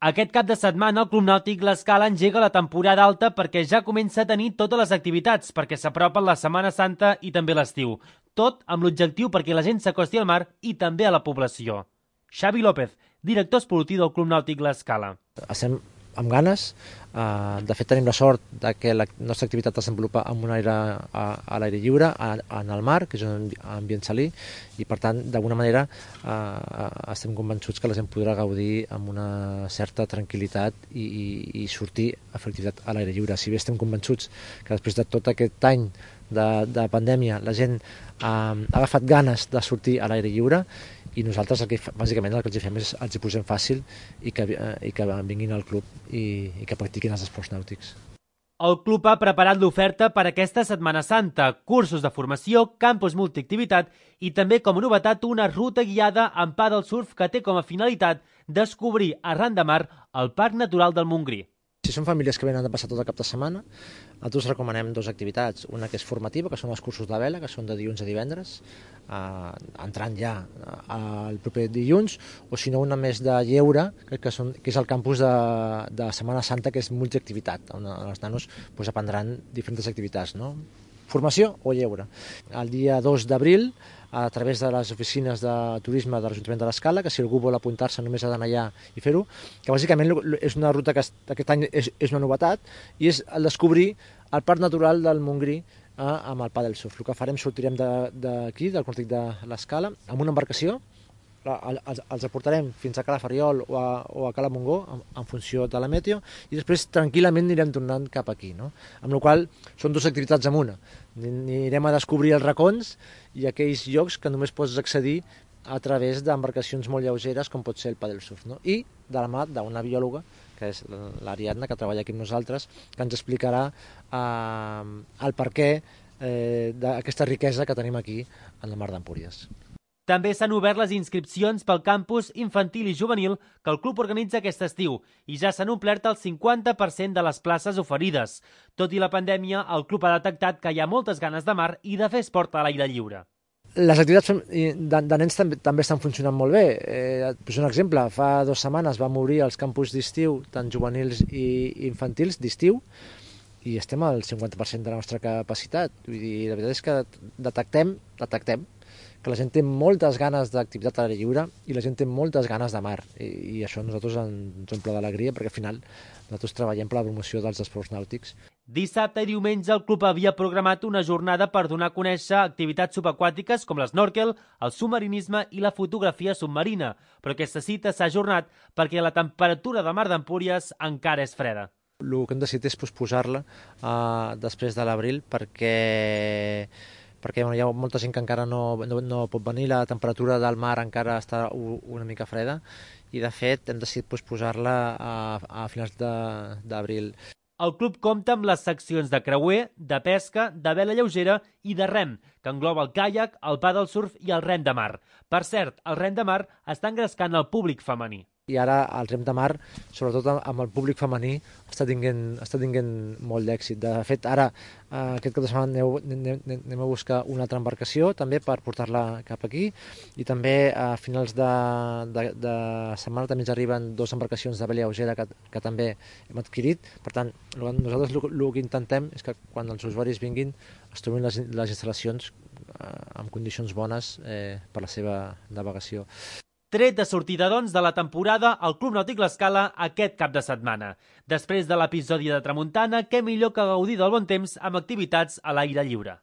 Aquest cap de setmana el Club Nàutic L'Escala engega la temporada alta perquè ja comença a tenir totes les activitats, perquè s'apropen la Setmana Santa i també l'estiu. Tot amb l'objectiu perquè la gent s'acosti al mar i també a la població. Xavi López, director esportiu del Club Nàutic L'Escala. Estem amb ganes. De fet, tenim la sort que la nostra activitat es desenvolupa amb un aire a l'aire lliure, en el mar, que és un ambient salí, i per tant, d'alguna manera, estem convençuts que la gent podrà gaudir amb una certa tranquil·litat i sortir a fer activitat a l'aire lliure. Si bé estem convençuts que després de tot aquest any de pandèmia la gent ha agafat ganes de sortir a l'aire lliure, i nosaltres bàsicament el que els fem és els hi posem fàcil i que vinguin al club i que practiquin els esports nàutics. El club ha preparat l'oferta per aquesta Setmana Santa, cursos de formació, campus multiactivitat i també com a novetat una ruta guiada amb paddle surf que té com a finalitat descobrir arran de mar el Parc Natural del Montgrí. Si són famílies que venen de passar tot el cap de setmana, nosaltres recomanem dues activitats. Una que és formativa, que són els cursos de vela, que són de dilluns a divendres, entrant ja el proper dilluns, o si no una més de lleure, que és el campus de Setmana Santa, que és multiactivitat, on els nanos aprendran diferents activitats, no? Formació o lleure. El dia 2 d'abril, a través de les oficines de turisme de l'Ajuntament de l'Escala, que si algú vol apuntar-se només ha d'anar allà i fer-ho, que bàsicament és una ruta que aquest any és una novetat, i és el descobrir el Parc Natural del Montgrí amb el paddle surf. El que farem, sortirem d'aquí, del Nàutic de l'Escala, amb una embarcació, els aportarem fins a Cala Ferriol o a Cala Montgó en funció de la meteo, i després tranquil·lament anirem tornant cap aquí, no? Amb la qual cosa són dues activitats en una. Anirem a descobrir els racons i aquells llocs que només pots accedir a través d'embarcacions molt lleugeres com pot ser el paddle surf, no? I de la mà d'una biòloga, que és l'Ariadna, que treballa aquí amb nosaltres, que ens explicarà el perquè d'aquesta riquesa que tenim aquí en la mar d'Empúries. També s'han obert les inscripcions pel campus infantil i juvenil que el club organitza aquest estiu i ja s'han omplert el 50% de les places oferides. Tot i la pandèmia, el club ha detectat que hi ha moltes ganes de mar i de fer esport a l'aire lliure. Les activitats de nens també estan funcionant molt bé. Et poso un exemple. Fa 2 setmanes vam obrir els campus d'estiu, tant juvenils i infantils, d'estiu, i estem al 50% de la nostra capacitat. Vull dir, la veritat és que detectem que la gent té moltes ganes d'activitat a l'aire lliure i la gent té moltes ganes de mar, i això a nosaltres ens omple d'alegria, perquè al final nosaltres treballem per la promoció dels esports nàutics. Dissabte i diumenge el club havia programat una jornada per donar a conèixer activitats subaquàtiques com l'esnòrquel, el submarinisme i la fotografia submarina, però aquesta cita s'ha ajornat perquè la temperatura de mar d'Empúries encara és freda. El que hem decidit és posposar-la després de l'abril perquè hi ha molta gent que encara no pot venir, la temperatura del mar encara està una mica freda, i de fet hem decidit posposar-la a finals d'abril. El club compta amb les seccions de creuer, de pesca, de vela lleugera i de rem, que engloba el caiac, el paddle surf i el rem de mar. Per cert, el rem de mar està engrescant el públic femení. I ara el rem de mar, sobretot amb el públic femení, està tinguent molt d'èxit. De fet, ara, aquest cap de setmana anem a buscar una altra embarcació també per portar-la cap aquí, i també a finals de setmana també ens arriben 2 embarcacions de vela lleugera que també hem adquirit. Per tant, nosaltres el que intentem és que quan els usuaris vinguin es trobin les instal·lacions en condicions bones per la seva navegació. Tret de sortida, doncs, de la temporada, el Club Nàutic L'Escala aquest cap de setmana. Després de l'episodi de tramuntana, què millor que gaudir del bon temps amb activitats a l'aire lliure.